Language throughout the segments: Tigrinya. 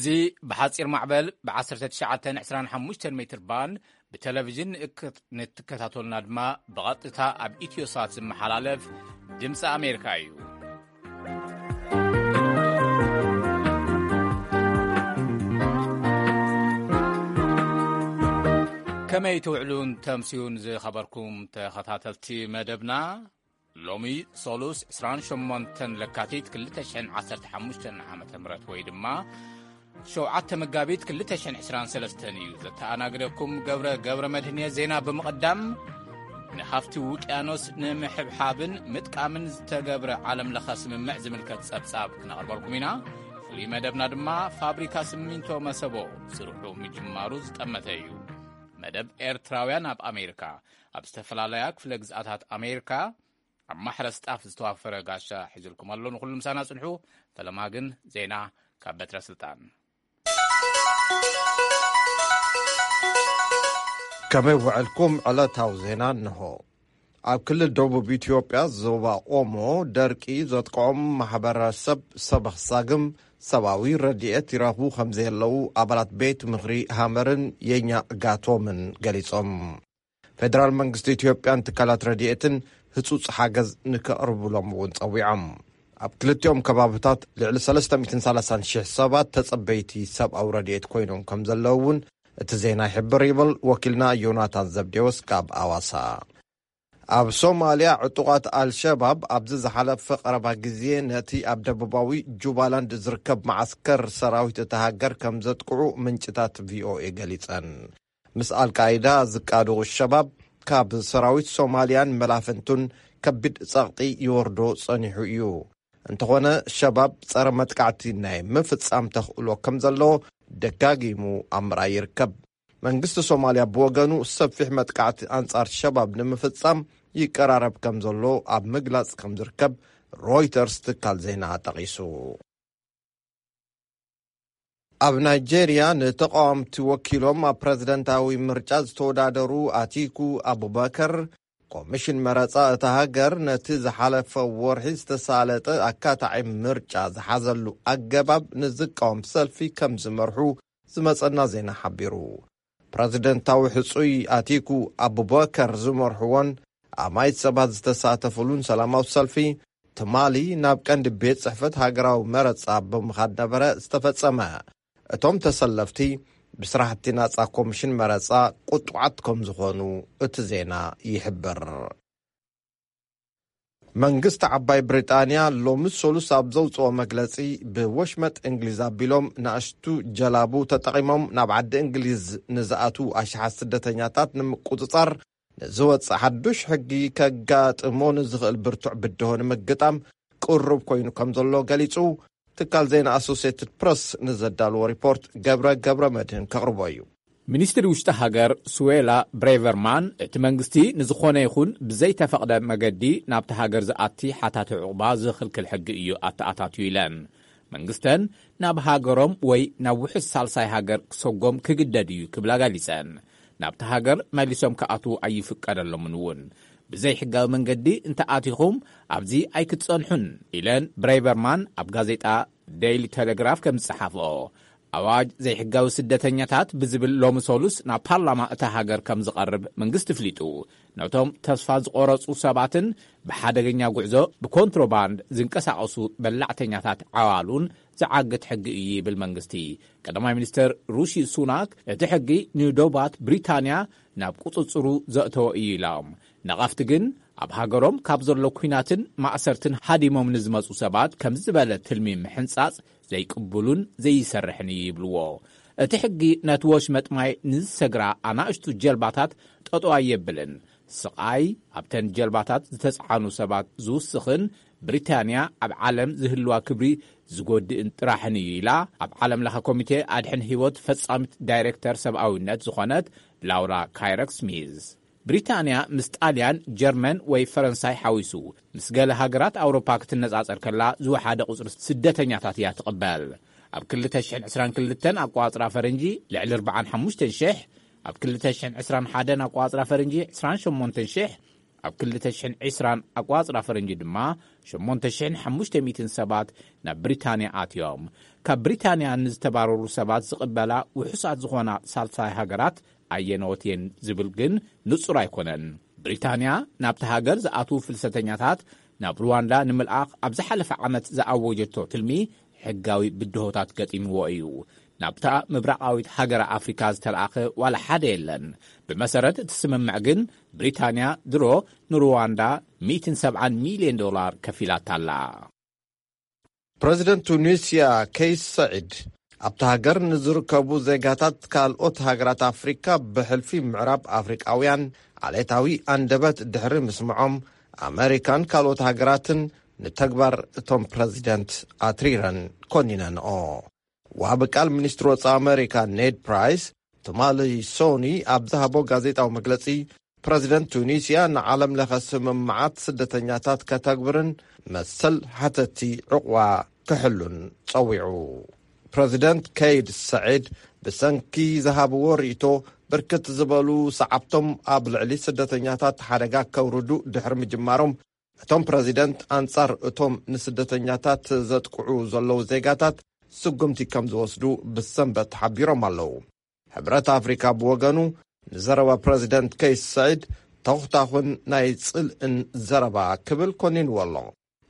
እዚ ብሓጺር ማዕበል ብ19 25 ሜትር ባንድ ብቴሌቪዥን ንእክ-፣ ንትከታተሉና ድማ ብቐጥታ ኣብ ኢትዮሳት ዝመሓላለፍ ድምፂ ኣሜሪካ እዩ። ከመይ ትውዕሉን ተምስዩን ዝኸበርኩም ተኸታተልቲ መደብና? ሎሚ ሶሉስ 28 ለካቲት 2015 ዓ ም ወይ ድማ ሸውዓተ መጋቢት 2023 እዩ። ዘተኣናግደኩም ገብረ ገብረ መድህን እየ። ዜና ብምቕዳም፣ ንሃፍቲ ውቅያኖስ ንምሕብሓብን ምጥቃምን ዝተገብረ ዓለም ለኸ ስምምዕ ዝምልከት ጸብጻብ ክነቕርበልኩም ኢና። ፍሉይ መደብና ድማ ፋብሪካ ስሚንቶ መሰቦ ስርሑ ምጅማሩ ዝጠመተ እዩ። መደብ ኤርትራውያን ኣብ ኣሜሪካ፣ ኣብ ዝተፈላለያ ክፍለ ግዝኣታት ኣሜሪካ ኣብ ማሕረስ ጣፍ ዝተዋፈረ ጋሻ ሒዙልኩም ኣሎ። ንኹሉ ምሳና ጽንሑ። ፈለማ ግን ዜና ካብ በትረ ስልጣን። ከመይ ውዕልኩም? ዕለታዊ ዜና እንሆ። ኣብ ክልል ደቡብ ኢትዮጵያ ዞባ ኦሞ ደርቂ ዘጥቅዖም ማሕበረሰብ ሰበኽ ሳግም ሰብኣዊ ረድኤት ይረኽቡ ከም ዘየለዉ ኣባላት ቤት ምኽሪ ሃመርን የኛ ጋቶምን ገሊጾም። ፌደራል መንግስቲ ኢትዮጵያን ትካላት ረድኤትን ህጹጽ ሓገዝ ንከቕርብሎም እውን ጸዊዖም። ኣብ ክልቲኦም ከባብታት ልዕሊ 330,000 ሰባት ተጸበይቲ ሰብኣዊ ረድኤት ኮይኖም ከም ዘለዉ እውን እቲ ዜና ይሕብር፣ ይብል ወኪልና ዮናታን ዘብዴዎስ ካብ ኣዋሳ። ኣብ ሶማልያ፣ ዕጡቓት ኣልሸባብ ኣብዚ ዝሓለፈ ቀረባ ግዜ ነቲ ኣብ ደቡባዊ ጁባላንድ ዝርከብ መዓስከር ሰራዊት እታ ሃገር ከም ዘጥቅዑ ምንጭታት ቪኦኤ ገሊጸን። ምስ ኣልቃይዳ ዝቃደቑ ሸባብ ካብ ሰራዊት ሶማልያን መላፍንቱን ከቢድ ጸቕጢ ይወርዶ ጸኒሑ እዩ። እንተኾነ፣ ሸባብ ጸረ መጥቃዕቲ ናይ ምፍጻም ተኽእሎ ከም ዘለዎ ደጋጊሙ ኣብ ምርኣይ ይርከብ። መንግስቲ ሶማልያ ብወገኑ፣ ሰፊሕ መጥቃዕቲ ኣንጻር ሸባብ ንምፍጻም ይቀራረብ ከም ዘሎ ኣብ ምግላጽ ከም ዝርከብ ሮይተርስ ትካል ዜና ጠቒሱ። ኣብ ናይጄርያ ንተቃወምቲ ወኪሎም ኣብ ፕረዚደንታዊ ምርጫ ዝተወዳደሩ ኣቲኩ ኣቡበከር፣ ኮሚሽን መረጻ እታ ሃገር ነቲ ዝሓለፈ ወርሒ ዝተሳለጠ ኣካታዒ ምርጫ ዝሓዘሉ ኣገባብ ንዝቃወም ሰልፊ ከም ዝመርሑ ዝመጸና ዜና ሓቢሩ። ፕረዚደንታዊ ሕጹይ ኣቲኩ ኣቡበከር ዝመርሕዎን ኣማይት ሰባት ዝተሳተፉሉን ሰላማዊ ሰልፊ፣ ትማሊ ናብ ቀንዲ ቤት ጽሕፈት ሃገራዊ መረጻ ብምኻድ ነበረ ዝተፈጸመ። እቶም ተሰለፍቲ ብስራሕቲ ናጻ ኮሚሽን መረጻ ቁጡዓት ከም ዝኾኑ እቲ ዜና ይሕብር። መንግስቲ ዓባይ ብሪጣንያ ሎሚ ሰሉስ ኣብ ዘውጽኦ መግለጺ፣ ብወሽመጥ እንግሊዝ ኣቢሎም ንኣሽቱ ጀላቡ ተጠቒሞም ናብ ዓዲ እንግሊዝ ንዝኣትዉ ኣሽሓት ስደተኛታት ንምቁጽጻር ንዝወጽእ ሓዱሽ ሕጊ ከጋጥሞ ንዝኽእል ብርቱዕ ብድሆ ንምግጣም ቅሩብ ኮይኑ ከም ዘሎ ገሊጹ። ትካል ዜና ኣሶሲየትድ ፕረስ ንዘዳልዎ ሪፖርት ገብረ ገብረ መድህን ከቕርቦ እዩ። ሚኒስትሪ ውሽጢ ሃገር ስዌላ ብሬቨርማን፣ እቲ መንግስቲ ንዝኾነ ይኹን ብዘይተፈቕደ መገዲ ናብቲ ሃገር ዝኣቲ ሓታቲ ዕቑባ ዝኽልክል ሕጊ እዩ ኣተኣታትዩ ኢለን። መንግስተን ናብ ሃገሮም ወይ ናብ ውሑስ ሳልሳይ ሃገር ክሰጎም ክግደድ እዩ ክብላ ገሊጸን። ናብቲ ሃገር መሊሶም ክኣትዉ ኣይፍቀደሎምን እውን። ብዘይሕጋዊ መንገዲ እንተኣቲኹም ኣብዚ ኣይክትጸንሑን ኢለን ብሬቨርማን ኣብ ጋዜጣ ዴይሊ ቴሌግራፍ ከም ዝጸሓፍኦ። ኣዋጅ ዘይሕጋዊ ስደተኛታት ብዝብል ሎሚ ሰሉስ ናብ ፓርላማ እታ ሃገር ከም ዝቐርብ መንግስቲ ፍሊጡ። ነቶም ተስፋ ዝቆረጹ ሰባትን ብሓደገኛ ጉዕዞ ብኮንትሮባንድ ዝንቀሳቐሱ በላዕተኛታት ዓዋሉን ዝዓግት ሕጊ እዩ ይብል መንግስቲ። ቀዳማይ ሚኒስትር ሩሺ ሱናክ እቲ ሕጊ ንዶባት ብሪታንያ ናብ ቁጽጽሩ ዘእተወ እዩ ኢሎም። ነቐፍቲ ግን ኣብ ሃገሮም ካብ ዘሎ ኲናትን ማእሰርትን ሃዲሞም ንዝመጹ ሰባት ከም ዝበለ ትልሚ ምሕንጻጽ ዘይቅቡሉን ዘይሰርሕን እዩ ይብልዎ። እቲ ሕጊ ነቲ ወሽመጥ ማይ ንዝሰግራ ኣናእሽቱ ጀልባታት ጠጠው ኣየብልን። ስቓይ ኣብተን ጀልባታት ዝተጽዓኑ ሰባት ዝውስኽን ብሪታንያ ኣብ ዓለም ዝህልዋ ክብሪ ዝጎድእን ጥራሕን እዩ ኢላ ኣብ ዓለም ለኸ ኮሚቴ ኣድሕን ህይወት ፈጻሚት ዳይሬክተር ሰብኣዊነት ዝኾነት ላውራ ካይረክ ስሚዝ። ብሪታንያ ምስ ጣልያን፣ ጀርመን ወይ ፈረንሳይ ሓዊሱ ምስ ገለ ሃገራት ኣውሮፓ ክትነጻጸር ከላ ዝወሓደ ቁጽሪ ስደተኛታት እያ ትቕበል። ኣብ 2022 ኣቋጽራ ፈረንጂ ልዕሊ 45,000፣ ኣብ 2021 ኣቋጽራ ፈረንጂ 28,000፣ ኣብ ክልተ ሽሕን ዕስራን ኣቋጽራ ፈረንጂ ድማ ሸሞንተ ሽሕን ሓሙሽተ ሚእትን ሰባት ናብ ብሪታንያ ኣትዮም። ካብ ብሪታንያ ንዝተባረሩ ሰባት ዝቕበላ ውሑሳት ዝኾና ሳልሳይ ሃገራት ኣየነዎት እየን ዝብል ግን ንጹር ኣይኮነን። ብሪታንያ ናብቲ ሃገር ዝኣትዉ ፍልሰተኛታት ናብ ሩዋንዳ ንምልኣኽ ኣብ ዝሓለፈ ዓመት ዝኣወጀቶ ትልሚ ሕጋዊ ብድሆታት ገጢምዎ እዩ። ናብታ ምብራቓዊት ሃገረ ኣፍሪካ ዝተለኣኸ ዋላ ሓደ የለን። ብመሰረት እቲ ስምምዕ ግን ብሪታንያ ድሮ ንሩዋንዳ ሚእትን ሰብዓን ሚልዮን ዶላር ከፊላታ ኣላ። ፕረዚደንት ቱኒስያ ከይስ ሰዒድ ኣብቲ ሃገር ንዝርከቡ ዜጋታት ካልኦት ሃገራት ኣፍሪካ ብሕልፊ ምዕራብ ኣፍሪቃውያን ዓሌታዊ ኣንደበት ድሕሪ ምስምዖም ኣመሪካን ካልኦት ሃገራትን ንተግባር እቶም ፕረዚደንት ኣትሪረን ኮኒነንኦ። ዋቢ ቃል ሚኒስትሪ ወፃኢ ኣመሪካ ኔድ ፕራይስ ትማሊ ሶኒ ኣብ ዝሃቦ ጋዜጣዊ መግለፂ ፕረዚደንት ቱኒስያ ንዓለም ለኸ ስምምዓት ስደተኛታት ከተግብርን መሰል ሓተቲ ዕቑባ ክሕሉን ጸዊዑ። ፕረዚደንት ከይድ ሰዒድ ብሰንኪ ዝሃብዎ ርእይቶ ብርክት ዝበሉ ሰዓብቶም ኣብ ልዕሊ ስደተኛታት ሓደጋ ከውርዱ ድሕሪ ምጅማሮም እቶም ፕረዚደንት ኣንጻር እቶም ንስደተኛታት ዘጥቅዑ ዘለዉ ዜጋታት ስጉምቲ ከም ዝወስዱ ብሰንበት ሓቢሮም ኣለዉ። ሕብረት ኣፍሪካ ብወገኑ ንዘረባ ፕረዚደንት ከይስ ሰዒድ ተኹታኹን ናይ ጽልእን ዘረባ ክብል ኮኒንዎ ኣሎ።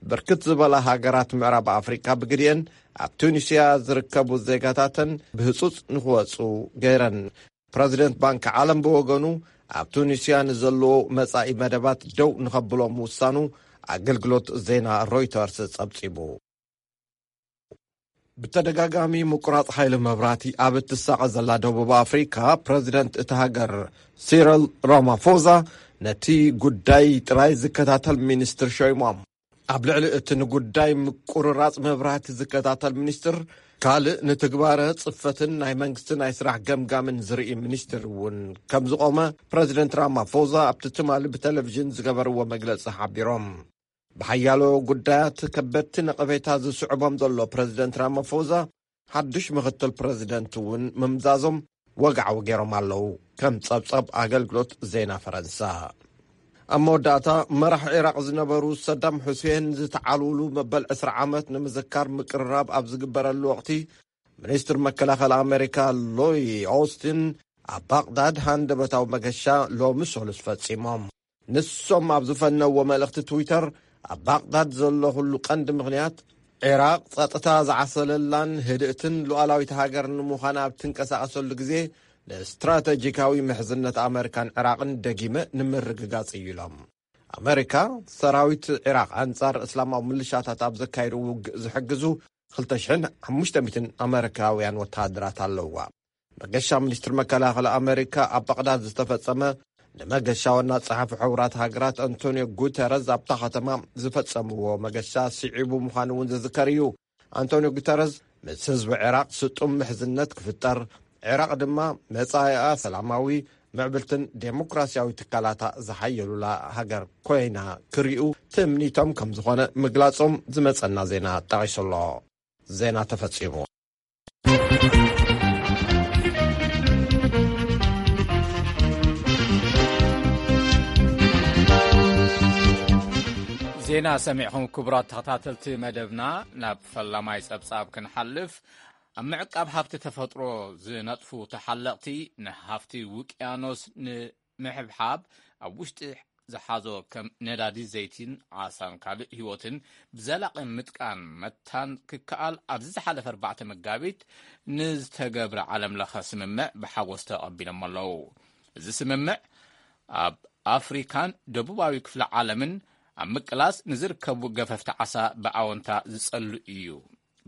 ብርክት ዝበላ ሃገራት ምዕራብ ኣፍሪካ ብግዲአን ኣብ ቱኒስያ ዝርከቡ ዜጋታተን ብህጹጽ ንክወጹ ገይረን። ፕረዚደንት ባንኪ ዓለም ብወገኑ ኣብ ቱኒስያ ንዘለዎ መጻኢ መደባት ደው ንኸብሎ ምውሳኑ ኣገልግሎት ዜና ሮይተርስ ጸብጺቡ። ብተደጋጋሚ ምቁራጽ ሓይሊ መብራህቲ ኣብ እትሳቐ ዘላ ደቡብ ኣፍሪካ ፕረዚደንት እቲ ሃገር ሲረል ራማፎዛ ነቲ ጉዳይ ጥራይ ዝከታተል ሚኒስትር ሾይሞም። ኣብ ልዕሊ እቲ ንጉዳይ ምቁርራጽ መብራህቲ ዝከታተል ሚኒስትር ካልእ ንትግባረ ጽፈትን ናይ መንግስቲ ናይ ስራሕ ገምጋምን ዝርኢ ሚኒስትር እውን ከም ዝቖመ ፕረዚደንት ራማፎዛ ኣብቲ ትማሊ ብቴሌቪዥን ዝገበርዎ መግለጺ ሓቢሮም። ብሓያሎ ጉዳያት ከበድቲ ነቐፌታ ዝስዕቦም ዘሎ ፕረዚደንት ራማፎዛ ሓድሽ ምኽትል ፕረዚደንት እውን ምምዛዞም ወግዓዊ ገይሮም ኣለዉ። ከም ጸብጻብ ኣገልግሎት ዜና ፈረንሳ። ኣብ መወዳእታ መራሕ ዒራቕ ዝነበሩ ሰዳም ሑሴን ዝተዓልውሉ መበል ዕስራ ዓመት ንምዝካር ምቅርራብ ኣብ ዝግበረሉ ወቕቲ ሚኒስትር መከላኸሊ ኣሜሪካ ሎይ ኦስቲን ኣብ ባቕዳድ ሃንደበታዊ መገሻ ሎሚ ሰሉስ ፈጺሞም። ንሶም ኣብ ዝፈነዎ መልእኽቲ ትዊተር ኣብ ባቕዳድ ዘሎ ኩሉ ቀንዲ ምኽንያት ዒራቕ ጸጥታ ዝዓሰለላን ህድእትን ሉዓላዊት ሃገር ንምዃን ኣብ ትንቀሳቐሰሉ ግዜ ንስትራተጂካዊ ምሕዝነት ኣመሪካን ዒራቕን ደጊመ ንምርግጋጽ እዩ ኢሎም። ኣመሪካ ሰራዊት ዒራቕ ኣንጻር እስላማዊ ምልሻታት ኣብ ዘካየዱ ውግእ ዝሕግዙ ክልተ ሽሕን ሓሙሽተ ሚእትን ኣመሪካውያን ወተሃደራት ኣለውዋ። መገሻ ሚኒስትሪ መከላኸሊ ኣመሪካ ኣብ ባቕዳድ ዝተፈጸመ ንመገሻ ዋና ጸሓፊ ሕቡራት ሃገራት ኣንቶኒዮ ጉተረዝ ኣብታ ከተማ ዝፈጸምዎ መገሻ ስዒቡ ምዃኑ እውን ዝዝከር እዩ። ኣንቶኒዮ ጉተረዝ ምስ ህዝቢ ዒራቕ ስጡም ምሕዝነት ክፍጠር፣ ዒራቕ ድማ መጻኢኣ ሰላማዊ ምዕብልትን ዴሞክራሲያዊ ትካላታ ዝሓየሉላ ሃገር ኮይና ክሪኡ ትምኒቶም ከም ዝኾነ ምግላጾም ዝመጸና ዜና ጠቒሱ ኣሎ። ዜና ተፈጺሙ። ዜና ሰሚዕኹም ክቡራት ተኸታተልቲ መደብና፣ ናብ ፈላማይ ጸብጻብ ክንሓልፍ። ኣብ ምዕቃብ ሃብቲ ተፈጥሮ ዝነጥፉ ተሓለቕቲ ንሃፍቲ ውቅያኖስ ንምሕብሓብ ኣብ ውሽጢ ዝሓዞ ከም ነዳዲ ዘይቲን ዓሳን ካልእ ህይወትን ብዘላቒ ምጥቃን መታን ክከኣል ኣብዚ ዝሓለፈ ኣርባዕተ መጋቢት ንዝተገብረ ዓለም ለኸ ስምምዕ ብሓጎስ ተቐቢሎም ኣለዉ። እዚ ስምምዕ ኣብ ኣፍሪካን ደቡባዊ ክፍለ ዓለምን ኣብ ምቅላስ ንዝርከቡ ገፈፍቲ ዓሳ ብኣወንታ ዝጸሉ እዩ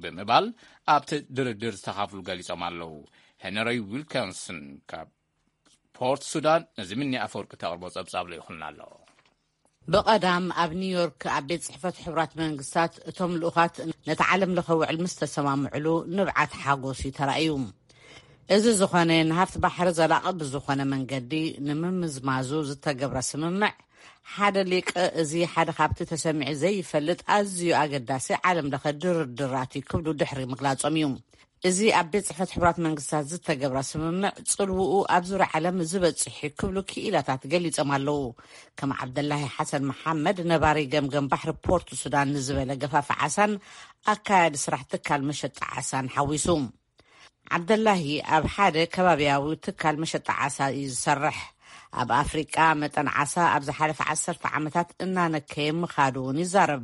ብምባል ኣብቲ ድርድር ዝተኻፍሉ ገሊጾም ኣለዉ። ሄነሪ ዊልኪንስን ካብ ፖርት ሱዳን ነዚ ምኒ ኣፈወርቂ ተቕርቦ ጸብጻብ ልኢኹልና ኣሎ። ብቐዳም ኣብ ኒውዮርክ ኣብ ቤት ጽሕፈት ሕቡራት መንግስታት እቶም ልኡኻት ነቲ ዓለም ለኸ ውዕል ምስ ተሰማምዕሉ ንብዓት ሓጎስ እዩ ተራእዩ። እዚ ዝኾነ ንሃፍቲ ባሕሪ ዘላቒ ብዝኾነ መንገዲ ንምምዝማዙ ዝተገብረ ስምምዕ ሓደ ሊቅ እዚ ሓደ ካብቲ ተሰሚዑ ዘይፈልጥ ኣዝዩ ኣገዳሲ ዓለም ለኸ ድርድራት እዩ ክብሉ ድሕሪ ምግላጾም እዩ። እዚ ኣብ ቤት ጽሕፈት ሕቡራት መንግስታት ዝተገብረ ስምምዕ ጽልውኡ ኣብ ዙርያ ዓለም ዝበጽሕ ክብሉ ክኢላታት ገሊጾም ኣለዉ። ከም ዓብደላሂ ሓሰን መሓመድ፣ ነባሪ ገምገም ባሕሪ ፖርት ሱዳን፣ ንዝበለ ገፋፍ ዓሳን ኣካያዲ ስራሕ ትካል መሸጣ ዓሳን ሓዊሱ። ዓብደላሂ ኣብ ሓደ ከባቢያዊ ትካል መሸጣ ዓሳ እዩ ዝሰርሕ። ኣብ ኣፍሪቃ መጠን ዓሳ ኣብ ዝሓለፈ ዓሰርተ ዓመታት እናነከየ ምኻዱ እውን ይዛረብ።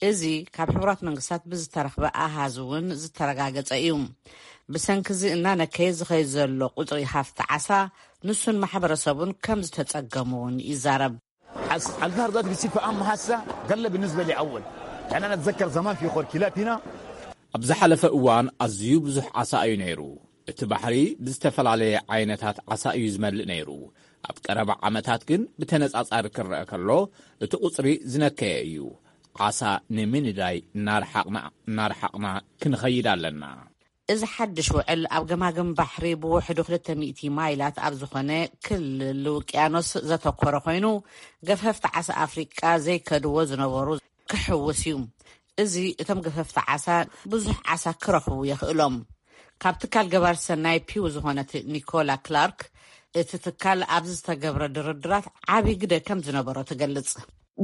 እዚ ካብ ሕቡራት መንግስታት ብዝተረኽበ ኣሃዝ እውን ዝተረጋገጸ እዩ። ብሰንኪ እዚ እናነከየ ዝኸይድ ዘሎ ቁጽሪ ሃፍቲ ዓሳ፣ ንሱን ማሕበረሰቡን ከም ዝተጸገሙ እውን ይዛረብ። البحر ذاته بيصير في أهم حاسة قل بالنسبة لي أول. يعني أنا أتذكر زمان في خور كلاب هنا. ኣብ ዝሓለፈ እዋን ኣዝዩ ብዙሕ ዓሳ እዩ ነይሩ። እቲ ባሕሪ ብዝተፈላለየ ዓይነታት ዓሳ እዩ ዝመልእ ነይሩ። ኣብ ቀረባ ዓመታት ግን ብተነጻጻሪ ክረአ ከሎ እቲ ቁጽሪ ዝነከየ እዩ። ዓሳ ንምንዳይ እናረሓቕና እናረሓቕና ክንኸይድ ኣለና። እዚ ሓድሽ ውዕል ኣብ ገማግም ባሕሪ ብውሕዱ ክልተ ሚእቲ ማይላት ኣብ ዝኾነ ክልል ውቅያኖስ ዘተኮረ ኮይኑ፣ ገፈፍቲ ዓሳ ኣፍሪቃ ዘይከድዎ ዝነበሩ ክሕውስ እዩ። እዚ እቶም ገፈፍቲ ዓሳ ብዙሕ ዓሳ ክረኽቡ የኽእሎም። ካብ ትካል ገባር ሰናይ ፒው ዝኾነት ኒኮላ ክላርክ፣ እቲ ትካል ኣብዚ ዝተገብረ ድርድራት ዓቢ ግደ ከም ዝነበሮ ትገልጽ።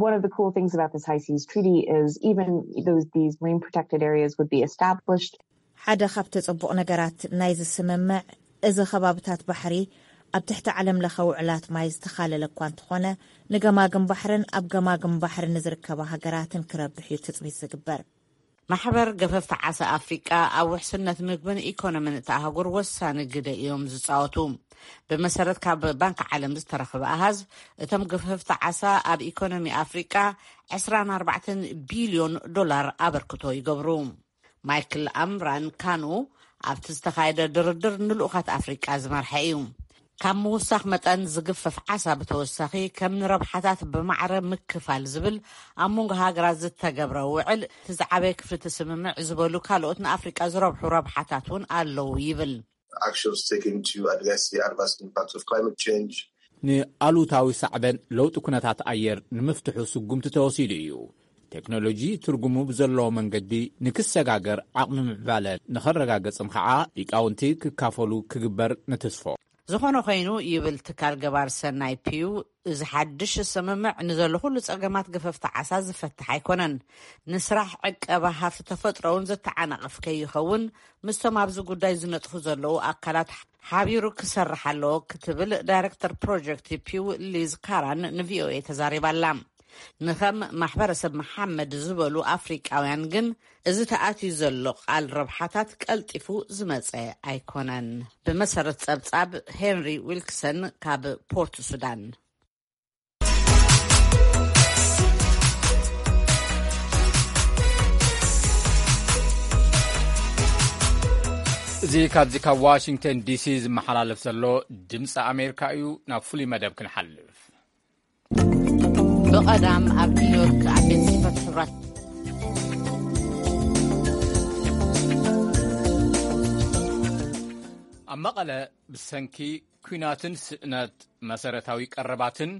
One of the cool things about this high seas treaty is even those these marine protected areas would be established. ሓደ ካብቲ ጽቡቕ ነገራት ናይዚ ስምምዕ፣ እዚ ከባብታት ባሕሪ ኣብ ትሕቲ ዓለም ለኸ ውዕላት ማይ ዝተኻለለ እኳ እንተኾነ፣ ንገማግም ባሕርን ኣብ ገማግም ባሕሪ ንዝርከባ ሃገራትን ክረብሕ እዩ ትጽቢት ዝግበር። ማሕበር ገፈፍቲ ዓሳ ኣፍሪቃ ኣብ ውሕስነት ምግብን ኢኮኖሚን እታ ኣህጉር ወሳኒ ግደ እዮም ዝጻወቱ። ብመሰረት ካብ ባንክ ዓለም ዝተረኽበ ኣሃዝ፣ እቶም ገፈፍቲ ዓሳ ኣብ ኢኮኖሚ ኣፍሪቃ ዕስራን ኣርባዕተን ቢልዮን ዶላር ኣበርክቶ ይገብሩ። ማይክል ኣምራን ካኑ ኣብቲ ዝተኻየደ ድርድር ንልኡኻት ኣፍሪቃ ዝመርሐ እዩ። ካብ ምውሳኽ መጠን ዝግፈፍ ዓሳ ብተወሳኺ ከም ንረብሓታት ብማዕረ ምክፋል ዝብል ኣብ መንጎ ሃገራት ዝተገብረ ውዕል እቲ ዝዓበየ ክፍልቲ ስምምዕ ዝበሉ ካልኦት ንኣፍሪቃ ዝረብሑ ረብሓታት እውን ኣለዉ ይብል። Actions taken to address the adverse impacts of climate change. ንኣሉታዊ ሳዕበን ለውጢ ኩነታት ኣየር ንምፍትሑ ስጉምቲ ተወሲዱ እዩ። ቴክኖሎጂ ትርጉሙ ብዘለዎ መንገዲ ንክሰጋገር ዓቕሚ ምዕባለ ንኸረጋገጽን ከዓ ሊቃውንቲ ክካፈሉ ክግበር ንትስፎ። ዝኾነ ኮይኑ ይብል ትካል ገባር ሰናይ ፒው፣ እዚ ሓድሽ ስምምዕ ንዘሎ ኩሉ ጸገማት ገፈፍቲ ዓሳ ዝፈትሕ ኣይኮነን። ንስራሕ ዕቀባ ሃፍቲ ተፈጥሮ እውን ዘተዓናቕፍ ከይኸውን ምስቶም ኣብዚ ጉዳይ ዝነጥፉ ዘለዉ ኣካላት ሓቢሩ ክሰርሕ ኣለዎ ክትብል ዳይረክተር ፕሮጀክት ፒው ሊዝ ካራን ንቪኦኤ ተዛሪባ ኣላ። ንኸም ማሕበረሰብ መሓመድ ዝበሉ ኣፍሪቃውያን ግን እዚ ተኣትዩ ዘሎ ቃል ረብሓታት ቀልጢፉ ዝመጸ ኣይኮነን። ብመሰረት ጸብጻብ ሄንሪ ዊልክሰን ካብ ፖርት ሱዳን። እዚ ካብዚ ካብ ዋሽንግተን ዲሲ ዝመሓላለፍ ዘሎ ድምፂ ኣሜሪካ እዩ። ናብ ፍሉይ መደብ ክንሓልፍ። ብቐዳም ኣብ ኒውዮርክ ኣብ ቤት ጽሕፈት ሕቡራት ኣብ መቐለ ብሰንኪ ኲናትን ስእነት መሰረታዊ ቀረባትን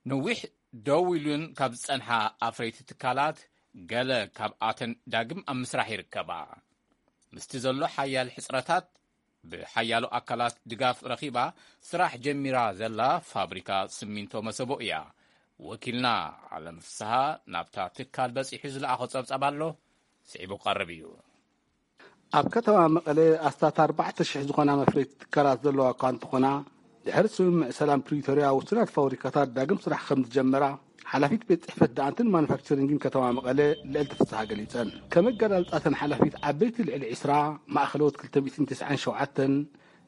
ነዊሕ ደው ኢሉን ካብ ዝጸንሓ ኣፍረይቲ ትካላት ገለ ካብኣተን ዳግም ኣብ ምስራሕ ይርከባ። ምስቲ ዘሎ ሓያል ሕጽረታት ብሓያሎ ኣካላት ድጋፍ ረኺባ ስራሕ ጀሚራ ዘላ ፋብሪካ ስሚንቶ መሰቦ እያ። ወኪልና ዓለም ፍስሃ ናብታ ትካል በጺሑ ዝለኣኾ ጸብጻብ ኣሎ፣ ስዒቡ ክቐርብ እዩ። ኣብ ከተማ መቐለ ኣስታት ኣርባዕተ ሽሕ ዝኾና መፍረይቲ ትካላት ዘለዋ እኳ እንተኾና፣ ድሕሪ ስምምዕ ሰላም ፕሪቶርያ ውሱናት ፋብሪካታት ዳግም ስራሕ ከም ዝጀመራ ሓላፊት ቤት ጽሕፈት ደኣንትን ማኑፋክቸሪንግን ከተማ መቐለ ልዕልቲ ፍስሃ ገሊጸን። ከም ኣገላልጻተን ሓላፊት ዓበይቲ ልዕሊ ዕስራ፣ ማእኸሎት ክልተ ሚእትን ተስዓን ሸውዓተን፣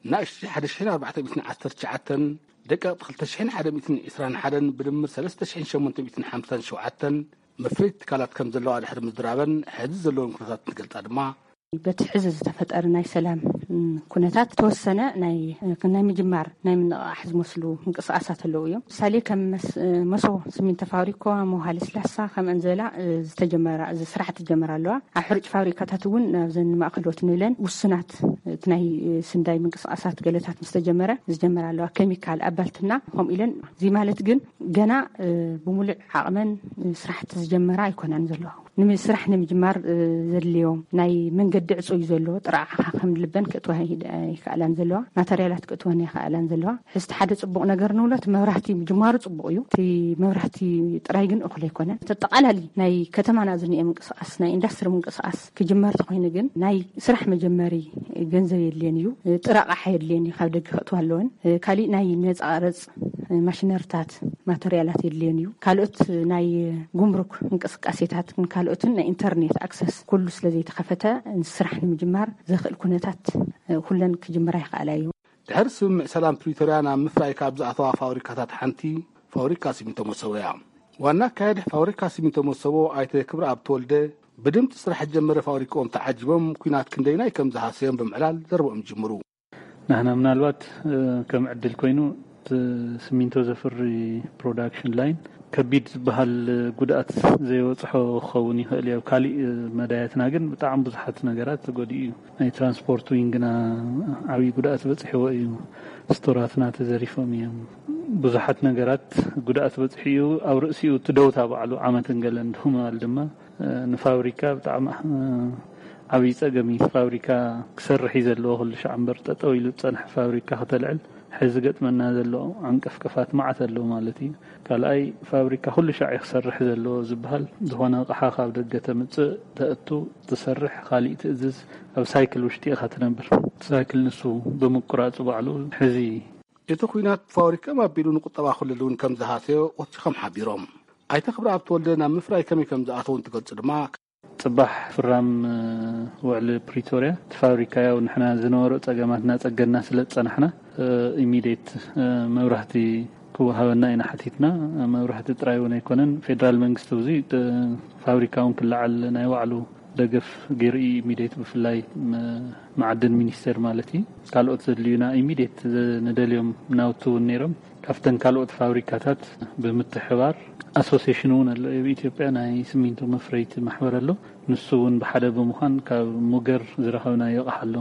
ንኣሽቱ ሓደ ሽሕን ኣርባዕተ ሚእትን ዓሰርተ ትሽዓተን፣ ደቀቕቲ ክልተ ሽሕን ሓደ ሚእትን ዕስራን ሓደን ብድምር ሰለስተ ሽሕን ሸሞንተ ሚእትን ሓምሳን ሸውዓተን መፍረይቲ ትካላት ከም ዘለዋ ድሕሪ ምዝራበን፣ ሕዚ ዘለዎም ኩነታት እንትገልጻ ድማ፣ በቲ ሕዚ ዝተፈጠረ ናይ ሰላም ኩነታት ተወሰነ ናይ ናይ ምጅማር ናይ ምንቕቓሕ ዝመስሉ ምንቅስቃሳት ኣለዉ እዮም። ምሳሌ ከም መስ- መሶቦ ስሚንቶ ፋብሪኮ፣ መውሃ ለስላሳ ከምአን ዝበላ ዝተጀመራ ስራሕቲ ጀመራ ኣለዋ። ኣብ ሕሩጭ ፋብሪካታት እውን ናብዘን ማእከሎት ንብለን ውሱናት እቲ ናይ ስንዳይ ምንቅስቃሳት ገለታት ምስ ተጀመረ ዝጀመራ ኣለዋ፣ ኬሚካል ኣባልትና ከምኡ ኢለን። እዚ ማለት ግን ገና ብሙሉእ ዓቕመን ስራሕቲ ዝጀመራ ኣይኮናን ዘለዋ። ንምስራሕ ንምጅማር ዘድልዮም ናይ መንገዲ ዕፁ እዩ ዘለዎ። ጥራዓኻ ከም ልበን ክእትዋ ኣይክኣላን ዘለዋ፣ ማተርያላት ክእትወን ኣይክኣላን ዘለዋ። ሕዝቲ ሓደ ፅቡቕ ነገር ንብሎ እቲ መብራህቲ ምጅማሩ ፅቡቕ እዩ። እቲ መብራህቲ ጥራይ ግን እኹል ኣይኮነን። ተጠቓላሊ ናይ ከተማና ዝኒኤ ምንቅስቃስ፣ ናይ ኢንዳስትሪ ምንቅስቃስ ክጅመር ተኮይኑ ግን ናይ ስራሕ መጀመሪ ገንዘብ የድልየን እዩ። ጥረ ኣቕሓ የድልየን እዩ፣ ካብ ደገ ክእትዋ ኣለወን። ካሊእ ናይ ነፃ ቀረፅ ማሽነርታት ማተርያላት የድልየን እዩ። ካልኦት ናይ ጉምሩክ እንቅስቃሴታት ካልኦትን ናይ ኢንተርኔት ኣክሰስ ኩሉ ስለ ዘይተኸፈተ ስራሕ ንምጅማር ዘኽእል ኩነታት ኩለን ክጅምራ ይኽኣላ እዩ። ድሕሪ ስምምዕ ሰላም ፕሪቶርያ ናብ ምፍራይ ካብ ዝኣተዋ ፋብሪካታት ሓንቲ ፋብሪካ ሲሚንቶ መሰቦ እያ። ዋና ኣካያዲ ፋብሪካ ሲሚንቶ መሰቦ ኣይተ ክብረኣብ ተወልደ ብድምፂ ስራሕ ዝጀመረ ፋብሪካኦም ተዓጂቦም ኩናት ክንደይናይ ከም ዝሃሰዮም ብምዕላል ዘረብኦም ይጅምሩ። ንሕና ምናልባት ከም ዕድል ኮይኑ እቲ ሲሚንቶ ዘፍሪ ፕሮዳክሽን ላይን ከቢድ ዝበሃል ጉድኣት ዘይበፅሖ ክኸውን ይኽእል እዩ። ኣብ ካሊእ መዳያትና ግን ብጣዕሚ ብዙሓት ነገራት ተጎዲኡ እዩ። ናይ ትራንስፖርት ዊንግና ዓብዪ ጉድኣት በፂሕዎ እዩ። ስቶራትና ተዘሪፎም እዮም። ብዙሓት ነገራት ጉድኣት በፂሑ እዩ። ኣብ ርእሲኡ እቲ ደውታ ባዕሉ ዓመትን ገለን ድኹም ኣል ድማ ንፋብሪካ ብጣዕሚ ዓብዪ ፀገም እዩ። ፋብሪካ ክሰርሕ እዩ ዘለዎ፣ ኩሉ ሻዕ እምበር ጠጠው ኢሉ ዝፀንሐ ፋብሪካ ከተልዕል ሕዚ ገጥመና ዘሎ ዓንቀፍቀፋት መዓት ኣለዉ ማለት እዩ። ካልኣይ ፋብሪካ ኩሉ ሻዕ እዩ ክሰርሕ ዘለዎ ዝበሃል፣ ዝኾነ ኣቕሓ ካብ ደገ ተምፅእ፣ ተእቱ፣ ትሰርሕ፣ ካሊእ ትእዝዝ፣ ኣብ ሳይክል ውሽጢ ኢኻ ትነብር። ሳይክል ንሱ ብምቁራፁ ባዕሉ ሕዚ እቲ ኩናት ፋብሪካ ኣቢሉ ንቁጠባ ክልል እውን ከም ዝሃሰዮ ወሲኾም ሓቢሮም። ኣይተ ክብረኣብ ተወልደ ናብ ምፍራይ ከመይ ከም ዝኣተው እንትገልጹ ድማ፣ ፅባሕ ፍራም ውዕሊ ፕሪቶርያ እቲ ፋብሪካ ያው ንሕና ዝነበሩ ፀገማት እናፀገንና ስለ ዝፀናሕና ኢሚዴት መብራህቲ ክወሃበና ኢና ሓቲትና። መብራህቲ ጥራይ እውን ኣይኮነን፣ ፌደራል መንግስቲ ብዙ ፋብሪካ እውን ክለዓል ናይ ባዕሉ ደገፍ ገይሩ እዩ። ኢሚዴት ብፍላይ መዓድን ሚኒስቴር ማለት እዩ። ካልኦት ዘድልዩና ኢሚዴት ንደልዮም ናውቲ እውን ነይሮም። ካብተን ካልኦት ፋብሪካታት ብምትሕባር ኣሶሲሽን እውን ኣሎ። ኣብ ኢትዮጵያ ናይ ሲሚንቶ መፍረይቲ ማሕበር ኣሎ። ንሱ እውን ብሓደ ብምዃን ካብ ሙገር ዝረኸብናዮ ኣቕሓ ኣሎ፣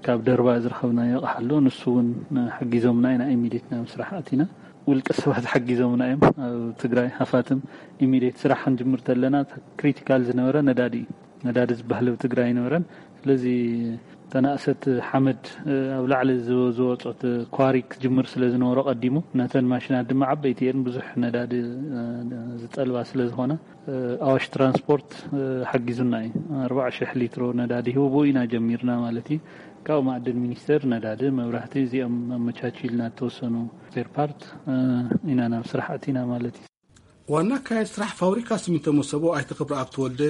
ካብ ደርባ ዝረኸብናዮ ኣቕሓ ኣሎ። ንሱ እውን ሓጊዞምና ኢና ኢሚዴት ናብ ስራሕ ኣቲና። ውልቀ ሰባት ሓጊዞምና እዮም። ኣብ ትግራይ ሃፋትም ኢሚዴት ስራሕ ክንጅምር ተለና ክሪቲካል ዝነበረ ነዳዲ እዩ። ነዳዲ ዝበሃል ኣብ ትግራይ ኣይነበረን። ስለዚ ተናእሰት ሓመድ ኣብ ላዕሊ ዝወ- ዝወፀት ኳሪ ክጅምር ስለ ዝነበሮ ቀዲሙ፣ ነተን ማሽናት ድማ ዓበይቲ እየን፣ ብዙሕ ነዳዲ ዝጠልባ ስለ ዝኾነ ኣዋሽ ትራንስፖርት ሓጊዙና እዩ። ኣርባዓ ሽሕ ሊትሮ ነዳዲ ሂቡ ብኡ ኢና ጀሚርና ማለት እዩ። ካብኡ ማዕድን ሚኒስቴር ነዳዲ፣ መብራህቲ እዚኦም ኣመቻችልና፣ ዝተወሰኑ ስፔር ፓርት ኢና ናብ ስራሕ ኣቲና ማለት እዩ። ዋና ኣካያዲ ስራሕ ፋብሪካ ሲሚንቶ መሰቦ ኣይተ ክብረኣብ ተወልደ፣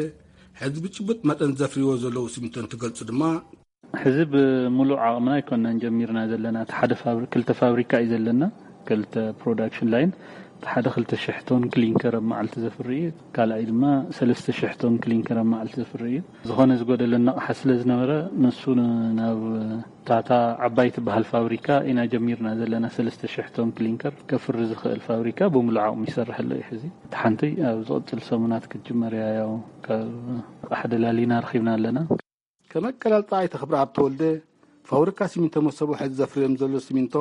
ሕዚ ብጭቡጥ መጠን ዘፍርይዎ ዘለዉ ሲሚንቶ እንትገልጹ ድማ፣ ሕዚ ብምሉእ ዓቕምና ኣይኮንናን ጀሚርና ዘለና። እቲ ሓደ ፋብሪ- ክልተ ፋብሪካ እዩ ዘለና፣ ክልተ ፕሮዳክሽን ላይን። እቲ ሓደ ክልተ ሽሕ ቶን ክሊንከር ኣብ መዓልቲ ዘፍሪ እዩ፣ ካልኣይ ድማ ሰለስተ ሽሕ ቶን ክሊንከር ኣብ መዓልቲ ዘፍሪ እዩ። ዝኾነ ዝጎደለና ኣቕሓ ስለ ዝነበረ ንሱ ን- ናብ ታታ ዓባይ ትበሃል ፋብሪካ ኢና ጀሚርና ዘለና። ሰለስተ ሽሕ ቶን ክሊንከር ከፍሪ ዝኽእል ፋብሪካ ብምሉእ ዓቕሙ ይሰርሕ ኣሎ እዩ። ሕዚ እቲ ሓንቲ ኣብ ዝቕፅል ሰሙናት ክትጅመር እያ። ያው ካብ ኣቕሓ ደላሊና ረኺብና ኣለና። ከም ኣቀላልፃ ኣይተ ክብረኣብ ተወልደ፣ ፋብሪካ ሲሚንቶ መሰቦ ሕዚ ዘፍርዮም ዘሎ ሲሚንቶ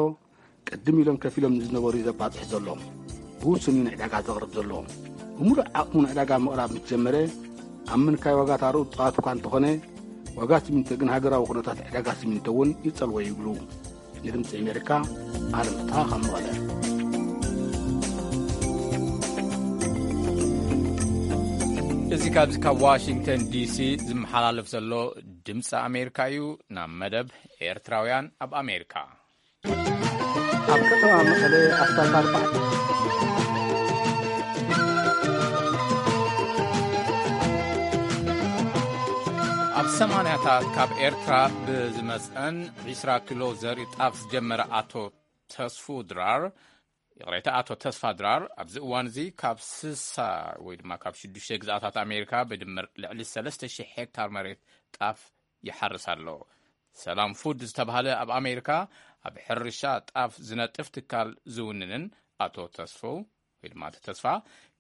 ቅድም ኢሎም ከፊሎም ንዝነበሩ እዩ ዘባፅሕ ዘሎ። ብውሱን እዩ ንዕዳጋ ዘቕርብ ዘሎ። ብምሉእ ዓቕሙ ንዕዳጋ ምቕራብ ምስ ጀመረ፣ ኣብ ምንካይ ዋጋ ታርኡ ጥቓት እኳ እንተኾነ፣ ዋጋ ሲሚንቶ ግን ሃገራዊ ኩነታት ዕዳጋ ሲሚንቶ እውን ይጸልዎ ይብሉ። ንድምፂ ኣሜሪካ፣ ኣለም ፍትሃ ካብ መቐለ። እዚ ካብዚ ካብ ዋሽንግተን ዲሲ ዝመሓላለፍ ዘሎ ድምፂ ኣሜሪካ እዩ። ናብ መደብ ኤርትራውያን ኣብ ኣሜሪካ። ኣብ ከተማ መቐለ ኣስታት ኣርባዕተ ኣብ ሰማንያታት ካብ ኤርትራ ብዝመፀን ዒስራ ኪሎ ዘርኢ ጣፍ ዝጀመረ ኣቶ ተስፉ ድራር፣ ይቕሬታ፣ ኣቶ ተስፋ ድራር ኣብዚ እዋን እዚ ካብ ስሳ ወይ ድማ ካብ ሽዱሽተ ግዝኣታት ኣሜሪካ ብድምር ልዕሊ ሰለስተ ሽሕ ሄክታር መሬት ጣፍ ይሓርስ ኣሎ። ሰላም ፉድ ዝተባህለ ኣብ ኣሜሪካ ኣብ ሕርሻ ጣፍ ዝነጥፍ ትካል ዝውንንን ኣቶ ተስፎ ወይ ድማ ኣቶ ተስፋ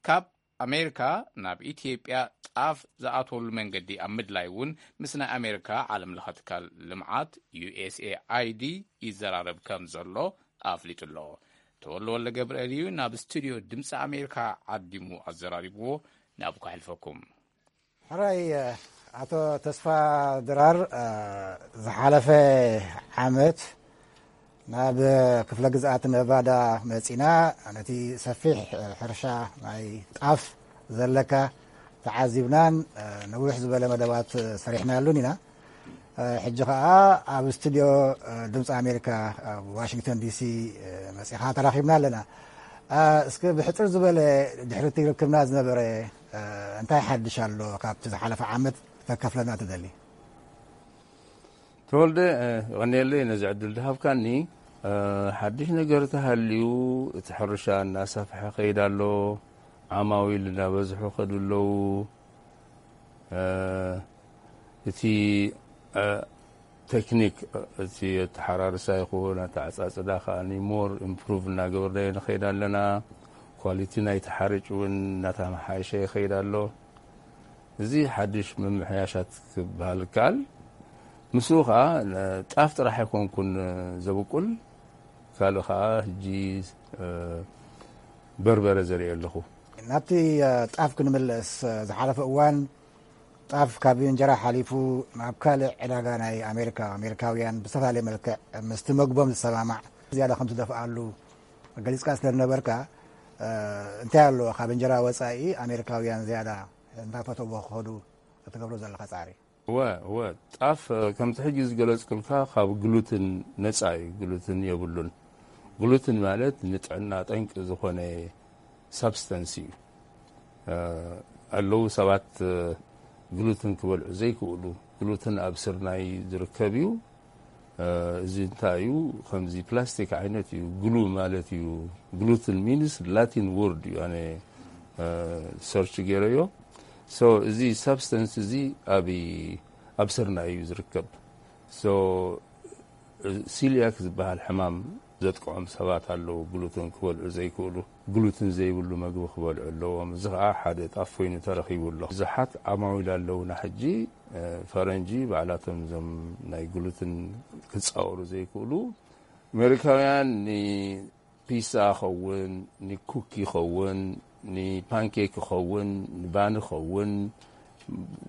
ካብ ኣሜሪካ ናብ ኢትዮጵያ ጣፍ ዝኣትወሉ መንገዲ ኣብ ምድላይ እውን ምስ ናይ ኣሜሪካ ዓለም ለኸ ትካል ልምዓት ዩ ኤስ ኤ ኣይ ዲ ይዘራረብ ከም ዘሎ ኣፍሊጡ ኣሎ። ተወልደ ወልደ ገብርኤል እዩ ናብ ስቱድዮ ድምፂ ኣሜሪካ ዓዲሙ ኣዘራሪብዎ። ናብ ከሕልፈኩም። ሕራይ ኣቶ ተስፋ ድራር፣ ዝሓለፈ ዓመት ናብ ክፍለ ግዝኣት ነቫዳ መጺና ነቲ ሰፊሕ ሕርሻ ናይ ጣፍ ዘለካ ተዓዚብናን ነዊሕ ዝበለ መደባት ሰሪሕናሉን ኢና። ሕጂ ከኣ ኣብ ስቱድዮ ድምፂ ኣሜሪካ ኣብ ዋሽንግተን ዲሲ መጺኻ ተራኺብና ኣለና። እስኪ ብሕጽር ዝበለ ድሕሪ እቲ ርክብና ዝነበረ እንታይ ሓድሽ ኣሎ ካብቲ ዝሓለፈ ዓመት ከተካፍለና ትደሊ? ተወልደ፣ የቐንየለይ ነዚ ዕድል ዝሃብካኒ። ሓድሽ ነገር ተሃልዩ፣ እቲ ሕርሻ እናሰፍሐ ከይድ ኣሎ፣ ዓማዊል እናበዝሑ ከዱ ኣለዉ። እቲ ቴክኒክ፣ እቲ ኣተሓራርሳ ይኹን ኣተዓጻጽዳ ከኣ ሞር ኢምፕሩቭ እናገበርናዮ ንኸይድ ኣለና። ኳሊቲ ናይቲ ሓርጭ እውን እናተመሓየሸ ይኸይድ ኣሎ። እዚ ሓድሽ ምምሕያሻት ክበሃል ይከኣል። ምስኡ ኸዓ ጣፍ ጥራሕ ኣይኮንኩን ዘብቁል፣ ካልእ ኸዓ ሕጂ በርበረ ዘርኢ ኣለኹ። ናብቲ ጣፍ ክንምለስ፣ ዝሓለፈ እዋን ጣፍ ካብ እንጀራ ሓሊፉ ናብ ካልእ ዕዳጋ ናይ ኣሜሪካ፣ ኣሜሪካውያን ብዝተፈላለየ መልክዕ ምስቲ መግቦም ዝሰማማዕ ዝያዳ ከም ትደፍኣሉ ገሊጽካ ስለ ዝነበርካ፣ እንታይ ኣሎ ካብ እንጀራ ወጻኢ ኣሜሪካውያን ዝያዳ እንዳፈተዎ ክኸዱ እትገብሮ ዘለኻ ጻዕሪ? እወ፣ እወ። ጣፍ ከምቲ ሕጂ ዝገለጽኩልካ ካብ ግሉትን ነጻ እዩ። ግሉትን የብሉን። ግሉትን ማለት ንጥዕና ጠንቂ ዝኾነ ሳብስተንስ እዩ። ኣለዉ ሰባት ግሉትን ክበልዑ ዘይክእሉ። ግሉትን ኣብ ስርናይ ዝርከብ እዩ። እዚ እንታይ እዩ? ከምዚ ፕላስቲክ ዓይነት እዩ። ግሉ ማለት እዩ። ግሉትን ሚንስ ላቲን ወርድ እዩ። ኣነ ሰርች ገይረዮ። ሶ እዚ ሳብስተንስ እዚ ኣብ ኣብ ስርናይ እዩ ዝርከብ። ሶ ሲሊያክ ዝበሃል ሕማም ዘጥቅዖም ሰባት ኣለዉ። ግሉትን ክበልዑ ዘይክእሉ፣ ግሉትን ዘይብሉ መግቢ ክበልዑ ኣለዎም። እዚ ኸዓ ሓደ ጣፍ ኮይኑ ተረኺቡ ኣሎ። ብዙሓት ዓማዊል ኣለዉና ሕጂ፣ ፈረንጂ ባዕላቶም እዞም ናይ ግሉትን ክጻወሩ ዘይክእሉ። ኣሜሪካውያን ፒሳ ይኸውን፣ ንኩክ ይኸውን፣ ንፓንኬክ ይኸውን፣ ንባን ይኸውን፣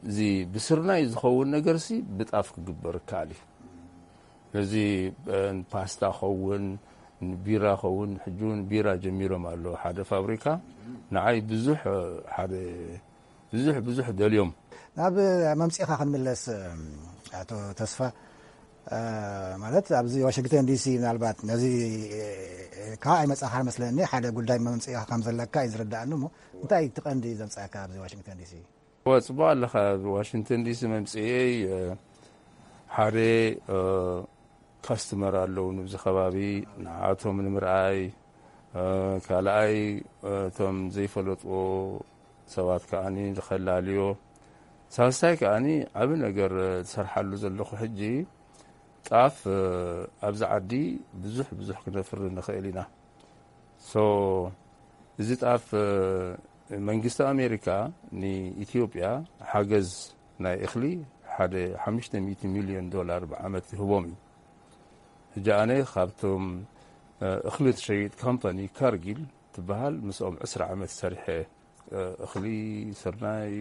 እዚ ብስርናይ ዝኸውን ነገርሲ ብጣፍ ክግበር ይከኣል እዩ። እዚ ፓስታ ኸውን፣ ንቢራ ኸውን፣ ሕጂ እውን ቢራ ጀሚሮም ኣለዉ ሓደ ፋብሪካ። ንዓይ ብዙሕ ሓደ ብዙሕ ብዙሕ ደልዮም። ናብ መምፅኢኻ ክንምለስ፣ ኣቶ ተስፋ፣ ማለት ኣብዚ ዋሽንግተን ዲሲ ምናልባት ነዚ ካብ ኣይመፃኻ መስለኒ ሓደ ጉዳይ መምፅኢኻ ከም ዘለካ እዩ ዝርዳእኒ። እሞ እንታይ እቲ ቀንዲ ዘምፃእካ ኣብዚ ዋሽንግተን ዲሲ? እወ፣ ፅቡቅ ኣለኻ። ዋሽንግተን ዲሲ መምፅኤይ ሓደ ካስተመር ኣለዉ ንብዚ ከባቢ፣ ንዓቶም ንምርኣይ፣ ካልኣይ እቶም ዘይፈለጥዎ ሰባት ከዓኒ ንኸላልዮ፣ ሳልሳይ ከዓኒ ዓቢ ነገር ዝሰርሓሉ ዘለኹ ሕጂ ጣፍ ኣብዚ ዓዲ ብዙሕ ብዙሕ ክነፍሪ ንኽእል ኢና። ሶ እዚ ጣፍ መንግስቲ ኣሜሪካ ንኢትዮጵያ ሓገዝ ናይ እኽሊ ሓደ ሓሙሽተ ሚእቲ ሚልዮን ዶላር ብዓመት ይህቦም እዩ። ሕጂ ኣነ ካብቶም እኽሊ ትሸይጥ ካምፓኒ ካርጊል ትበሃል ምስኦም ዕስራ ዓመት ሰሪሐ እኽሊ ስርናይ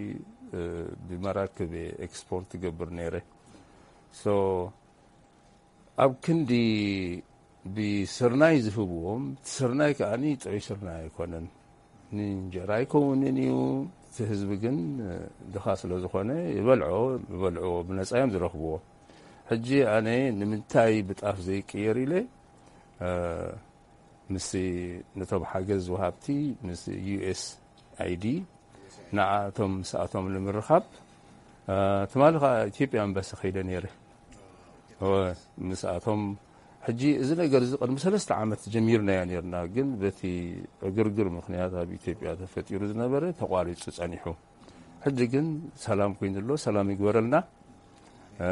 ብመራክብ ኤክስፖርት ትገብር ነይረ። ሶ ኣብ ክንዲ ብስርናይ ዝህብዎም፣ እቲ ስርናይ ከኣ ጥዑይ ስርናይ ኣይኮነን። ንእንጀራ ኣይከውንን እዩ። እቲ ህዝቢ ግን ድኻ ስለ ዝኾነ ይበልዖ፣ ይበልዕዎ፣ ብነጻ እዮም ዝረኽብዎ። ሕጂ ኣነ ንምንታይ ብጣፍ ዘይቅየር ኢለ፣ እ፣ ምስ ነቶም ሓገዝ ወሃብቲ፣ ምስ ዩ ኤስ ኣይ ዲ፣ ንዓቶም ምስኣቶም ንምርኻብ፣ እ፣ ትማሊ ኸኣ ኢትዮጵያ ኤምባሲ ከይደ ነይረ። እወ፣ ምስኣቶም ሕጂ እዚ ነገር እዚ ቅድሚ ሰለስተ ዓመት ጀሚርናዮ ነይርና፣ ግን በቲ ዕግርግር ምኽንያት ኣብ ኢትዮጵያ ተፈጢሩ ዝነበረ ተቋሪጹ ጸኒሑ። ሕጂ ግን ሰላም ኮይኑ ኣሎ፣ ሰላም ይግበረልና። እ፣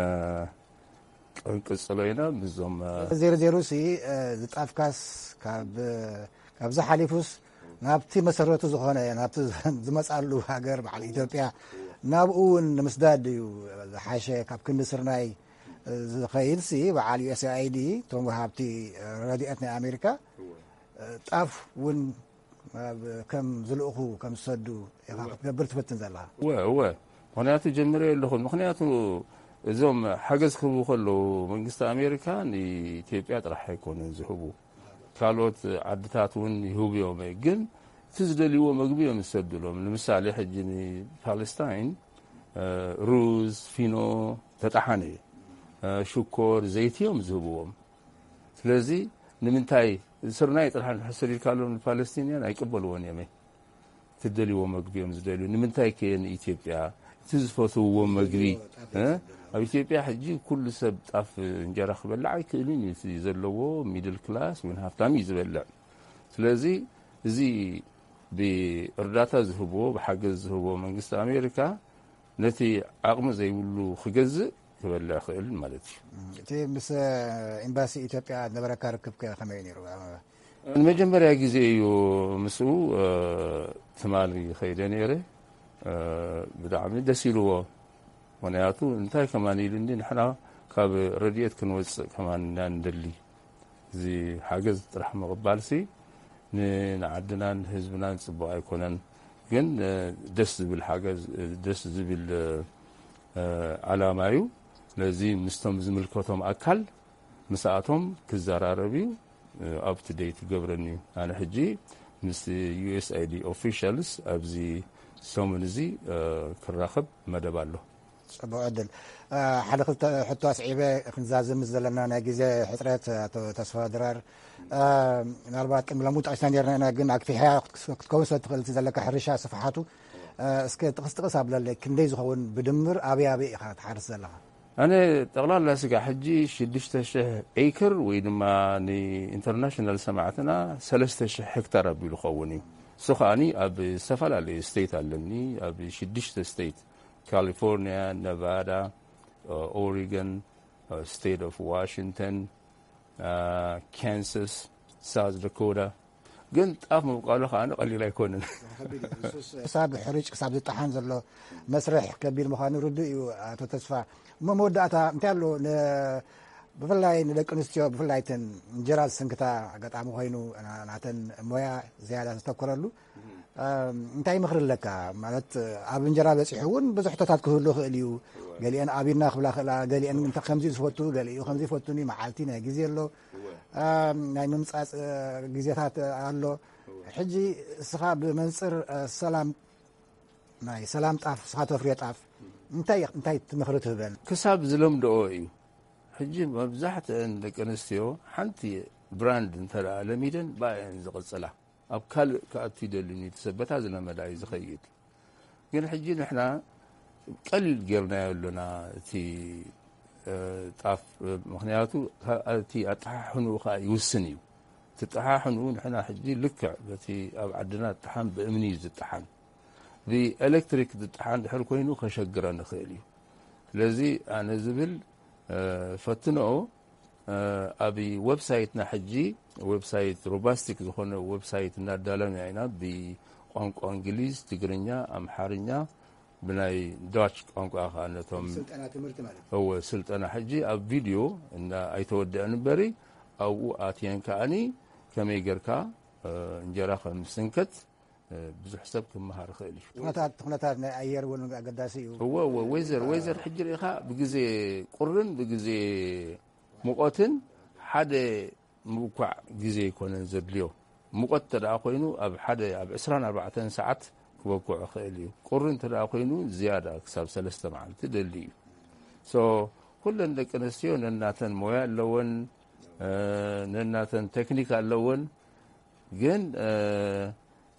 ክንቅጽሎ ኢና ምስዞም፣ እ፣ ዜሮ ዜሮ ሲ፣ እ፣ ዝጣፍካስ ካብ፣ ካብዚ ሓሊፉስ ናብቲ መሰረቱ ዝኾነ ናብቲ ዝመጻሉ ሃገር በዓል ኢትዮጵያ ናብኡ እውን ንምስዳድ እዩ ዝሓሸ። ካብ ክንዲ ስርናይ ዝኸይድ ሲ በዓል ዩ ኤስ ኣይዲ እቶም ወሃብቲ ረድኤት ናይ ኣሜሪካ ጣፍ እውን ከም ዝልእኹ ከም ዝሰዱ ኢኻ ክትገብር ትፍትን ዘለኻ። እወ እወ። ምክንያቱ ጀምረ ኣለኹ። ምክንያቱ እዞም ሓገዝ ክህቡ ከለዉ መንግስቲ ኣሜሪካ ንኢትዮጵያ ጥራሕ ኣይኮነን ዝህቡ፣ ካልኦት ዓድታት እውን ይህቡ እዮም። ግን እቲ ዝደልይዎ መግቢ እዮም ዝሰድሎም። ንምሳሌ ሕጂ ንፓለስታይን ሩዝ፣ ፊኖ፣ ተጣሓነ፣ ሽኮር፣ ዘይቲ እዮም ዝህብዎም። ስለዚ ንምንታይ ስርናይ ጥራሕ እንድሕር ሰዲድካሎም ንፓለስቲንያን ኣይቅበልዎን እዮም። ትደልይዎ መግቢ እዮም ዝደልዩ። ንምንታይ ከ ንኢትዮጵያ እቲ ዝፈትውዎ መግቢ ኣብ ኢትዮጵያ ሕጂ ኩሉ ሰብ ጣፍ እንጀራ ክበልዕ ኣይክእልን እዩ። እቲ ዘለዎ ሚድል ክላስ ወይ ሃፍታም እዩ ዝበልዕ። ስለዚ እዚ ብእርዳታ ዝህብዎ ብሓገዝ ዝህብዎ መንግስቲ ኣሜሪካ ነቲ ዓቕሚ ዘይብሉ ክገዝእ ክበልዕ ክእል ማለት እዩ። እቲ ምስ ኤምባሲ ኢትዮጵያ ነበረካ ርክብ ከመይ ነይሩ? ንመጀመርያ ግዜ እዩ ምስኡ ትማሊ ከይደ ነይረ። ብጣዕሚ ደስ ኢልዎ። ምክንያቱ እንታይ ከማን ኢሉኒ፣ ንሕና ካብ ረድኤት ክንወፅእ ከማን ኢና ንደሊ። እዚ ሓገዝ ጥራሕ ምቕባልሲ ንዓድናን ህዝብናን ፅቡቕ ኣይኮነን። ግን ደስ ዝብል ሓገዝ፣ ደስ ዝብል ዓላማ እዩ። ስለዚ ምስቶም ዝምልከቶም ኣካል ምስኣቶም ክዘራረብ እዩ። ኣፕ ቱ ዴት ክገብረኒ እዩ። ኣነ ሕጂ ምስ ዩ ኤስ ኣይዲ ኦፊሻልስ ኣብዚ ሰሙን እዚ ክራኸብ መደብ ኣሎ። ፅቡቅ ዕድል። ሓደ ክልተ ሕቶ ኣስዒበ ክንዛዝም ምስ ዘለና ናይ ግዜ ሕፅረት ኣቶ ተስፋ ድራር፣ ምናልባት ቅድሚ ሎሚ ጠቂስና ነርና ኢና፣ ግን ኣግፊሕያ ክትከውን ስለ ትኽእል እቲ ዘለካ ሕርሻ ስፍሓቱ እስከ ጥቕስ ጥቕስ ኣብለለይ፣ ክንደይ ዝኸውን ብድምር ኣበይ ኣበይ ኢኻ ትሓርስ ዘለኻ? ኣነ ጠቕላላ ስጋ ሕጂ ሽዱሽተ ሽሕ ኤክር ወይ ድማ ንኢንተርናሽናል ሰማዕትና ሰለስተ ሽሕ ሄክታር ኣቢሉ ኸውን እዩ። እሱ ከዓኒ ኣብ ዝተፈላለዩ ስቴት ኣለኒ። ኣብ ሽዱሽተ ስቴት፣ ካሊፎርኒያ፣ ነቫዳ፣ ኦሪገን፣ ስቴት ኦፍ ዋሽንግተን፣ ካንሳስ፣ ሳውዝ ዳኮታ። ግን ጣፍ ምብቃሉ ከዓ ቀሊል ኣይኮነን። ክሳብ ሕርጭ ክሳብ ዝጠሓን ዘሎ መስርሕ ከቢድ ምዃኑ ርዱእ እዩ። ኣቶ ተስፋ፣ እሞ መወዳእታ እንታይ ኣሎ? ብፍላይ ንደቂ ኣንስትዮ ብፍላይ ተን እንጀራ ዝስንክታ ኣጋጣሚ ኮይኑ ናተን ሞያ ዝያዳ ዝተኮረሉ እንታይ ምኽሪ ኣለካ? ማለት ኣብ እንጀራ በፂሑ እውን ብዙሕ ሕቶታት ክህሉ ይኽእል እዩ። ገሊአን ኣቢና ክብላ ክእላ፣ ገሊአን ከምዚ ዝፈቱ፣ ገሊኡ ከምዚ ይፈቱኒ፣ መዓልቲ ናይ ግዜ ኣሎ፣ ናይ ምምፃፅ ግዜታት ኣሎ። ሕጂ እስኻ ብመንፅር ሰላም ናይ ሰላም ጣፍ እስኻ ተፍርዮ ጣፍ እንታይ እንታይ ትምኽሪ ትህበን? ክሳብ ዝለምድኦ እዩ። ሕጂ መብዛሕትአን ደቂ ኣንስትዮ ሓንቲ ብራንድ እንተ ለሚደን ብኣየን ዝቕፅላ። ኣብ ካልእ ክኣቱ ይደልን እዩ። እቲ ሰብ በታ ዝለመዳ እዩ ዝኸይድ። ግን ሕጂ ንሕና ቀሊል ጌርናዮ ኣለና እቲ ጣፍ፣ ምክንያቱ እቲ ኣጠሓሕንኡ ከዓ ይውስን እዩ። እቲ ጠሓሕንኡ ንሕና ሕጂ ልክዕ በቲ ኣብ ዓድና ዝጠሓን ብእምኒ እዩ ዝጠሓን። ብኤሌክትሪክ ዝጠሓን ድሕር ኮይኑ ከሸግረን ይኽእል እዩ። ስለዚ ኣነ ዝብል ፈትንኦ። ኣብ ዌብሳይትና ሕጂ ዌብሳይት ሮባስቲክ ዝኾነ ዌብሳይት እናዳለና ኢና። ብቋንቋ እንግሊዝ፣ ትግርኛ፣ ኣምሓርኛ፣ ብናይ ዳች ቋንቋ ከዓ ነቶም እወ ስልጠና ሕጂ ኣብ ቪድዮ እና ኣይተወደአን እምበሪ ኣብኡ ኣትየን ከዓኒ ከመይ ጌርካ እንጀራ ከም ዝስንከት ብዙሕ ሰብ ክመሃር ይኽእል እዩ። ኩነታት ኩነታት ናይ ኣየር እውን ኣገዳሲ እዩ። እወ እወ ወይዘር ወይዘር ሕጂ ርኢኻ ብግዜ ቁርን ብግዜ ሙቐትን ሓደ ምብኳዕ ግዜ ኣይኮነን ዘድልዮ። ሙቐት እንተ ደኣ ኮይኑ ኣብ ሓደ ኣብ ዕስራን ኣርባዕተን ሰዓት ክበኩዕ ይኽእል እዩ። ቁሪ እንተ ደኣ ኮይኑ ዝያዳ ክሳብ ሰለስተ መዓልቲ ደሊ እዩ። ሶ ኩለን ደቂ ኣንስትዮ ነናተን ሞያ ኣለወን፣ ነናተን ቴክኒክ ኣለወን። ግን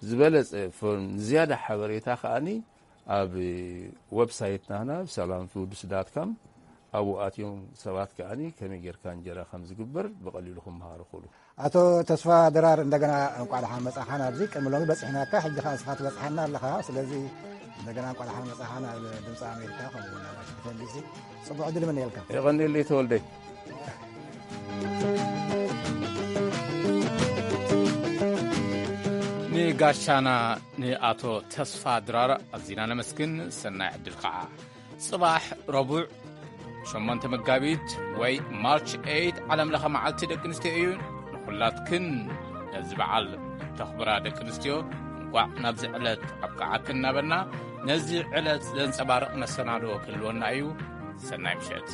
ዝበለጸ ዝያዳ ሓበሬታ ከኣኒ ኣብ ዌብሳይትና ናብ ሰላም ፉድስ ዳት ካም ኣብኡ ኣትዮም ሰባት ከኣኒ ከመይ ጌርካ እንጀራ ከም ዝግበር ብቐሊሉ ክመሃሩ ክእሉ። ኣቶ ተስፋ ድራር እንደገና እንቋዕ ደሓን መጻኻ ናብዚ። ቅድሚ ሎሚ በጺሕናካ፣ ሕጂ ከኣ ንስኻ ትበጽሓና ኣለኻ። ስለዚ እንደገና እንቋዕ ደሓን መጻኻ ናብ ድምጺ ኣሜሪካ ከምኡ እውን ናብ ዋሽንግተን ዲሲ። ጽቡቕ ዕድል ይምነየልካ። የቐንየለይ ተወልደይ። ጋሻና ንኣቶ ተስፋ ድራር ኣዚና ነመስግን። ሰናይ ዕድል ከዓ። ጽባሕ ረቡዕ ሸሞንተ መጋቢት ወይ ማርች ኤይት ዓለም ለኸ መዓልቲ ደቂ ኣንስትዮ እዩ። ንኹላትክን ነዚ በዓል ተኽብራ ደቂ ኣንስትዮ እንቋዕ ናብዚ ዕለት ኣብቅዓክን እናበልና፣ ነዚ ዕለት ዘንጸባርቕ መሰናዶ ክህልወና እዩ። ሰናይ ምሸት።